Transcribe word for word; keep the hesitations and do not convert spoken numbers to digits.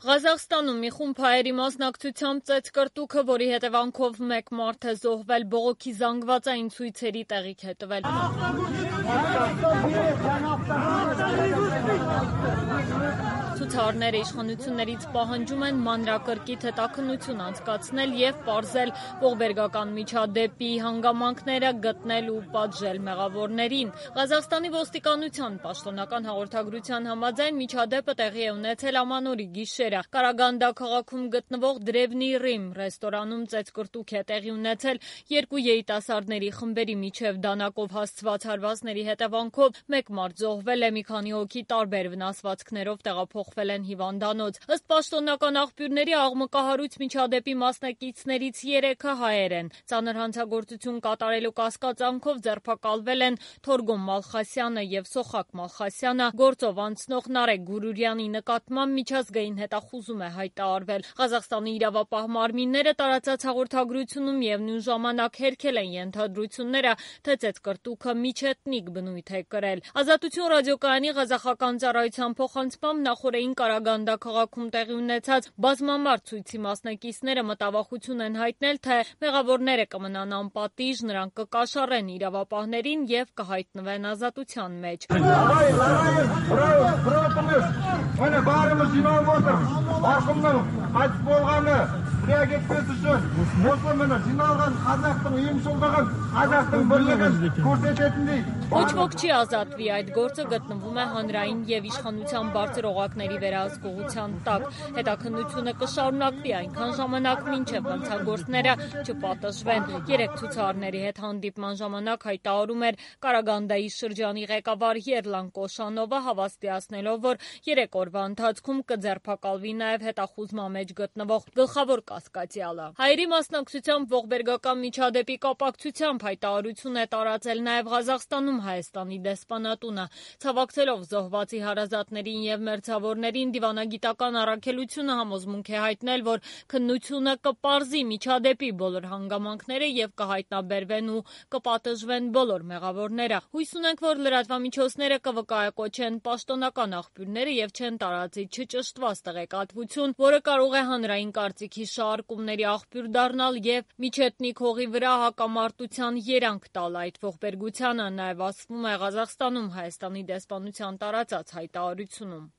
Ղազախստանում մի խումբ հայերի մասնակցությամբ ծեծկռտուքը, որի հետևանքով մեկ մարդ է զոհվել, բողոքի զանգվածային ցույցերի տեղիք է տվել։ Ցուցարարները իշխանություններից պահանջում են մանրակրկիտ հետաքննություն անցկացնել և պարզել ողբերգական միջադեպի հանգամանքները, գտնել ու պատժել մեղավորներին։ Ղազախստանի ոստիկանության պաշտոնական հաղորդագրության համաձայն միջադեպը տեղի է ունեցել ամանորի գիշերը։ Կարագանդա քաղաքում գտնվող Դրևնի Ռիմ ռեստորանում ծեծկռտուք է տեղի ունեցել երկու երիտասարդների խմբերի միջև դանակով հասցված հարվածների հետևանքով մեկ մարդ զոհվել է, մի քանի հոգի տարբեր վնասվածքներով տեղափոխվել են հիվանդանոց։ Ըստ պաշտոնական աղբյուրների, աղմկահարույց միջադեպի մասնակիցներից երեքը հայեր են։ Ծանր հանցագործություն կատարելու կասկածանքով ձերբակալվել են Թորգոմ Մալխասյանը և Սոխակ Մալխասյանը։ Գործով անցնող Նարեկ Գուրուրյանի նկատմամբ միջազգային հետախուզում է հայտարարվել։ Ղազախստանի իրավապահ մարմինները տարածած հաղորդագրությունում միևնույն ժամանակ հերքել են ենթադրությունները, թե ծեծկռտուքը միջեթնիկ բնույթ է կրել։ Ազատություն ռադիոկայանի ղազախական ծառայության փոխանցմամբ նախօրեին Կարագանդա քաղաքում տեղի ունեցած բազմամարդ ցույցի մասնակիցները մտավախություն են հայտնել, թե մեղավորները կմնան անպատիժ, նրանք կկաշառեն իրավապահներին և կհայտնվեն ազատության մեջ։ Ոչ ոք չի ազատվի, այդ գործը գտնվում է հանրային և իշխանության բարձր օղակների վերահսկողության տակ։ Հետաքննությունը կշարունակվի այնքան ժամանակ, մինչև հանցագործները չպատժվեն։ Երեք ցուցարարների հետ հանդիպման ժամանակ հայտարարում էր Կարագանդայի շրջանի ղեկավար Եռլան Կոշանովը, հավաստիացնելով, որ երեք օրվա ընթացքում կձերբակալվի նաև հետախուզման մեջ գտնվող գլխավոր կասկածյալը։ Հայերի մասնակցությամբ ողբերգական միջադեպի կապակցությամբ հայտարարություն է տարածել նաև Ղազախստանում Հայաստանի դեսպանատունը։ Ցավակցելով զոհվածի հարազատներին և մերձավորներին, դիվանագիտական առաքելությունը համոզմունք է հայտնել, որ քննությունը կպարզի միջադեպի բոլոր հանգամանքները և կհայտնաբերվեն ու կպատժվեն բոլոր մեղավորները։ Հույս ունենք, որ լրատվամիջոցները կվկայակոչեն պաշտոնական աղբյուրները և չեն տարածի չճշտված տեղեկատվություն, որը կարող է հանրային կարծիքի շահարկումների աղբյուր դառնալ և միջեթնիկ հողի վրա հակամարտության երանգ տալ այդ ողբերգությանը, նաև ասվում է Ղազախստանում Հայաստանի դեսպանության տարածած հայտարարությունում։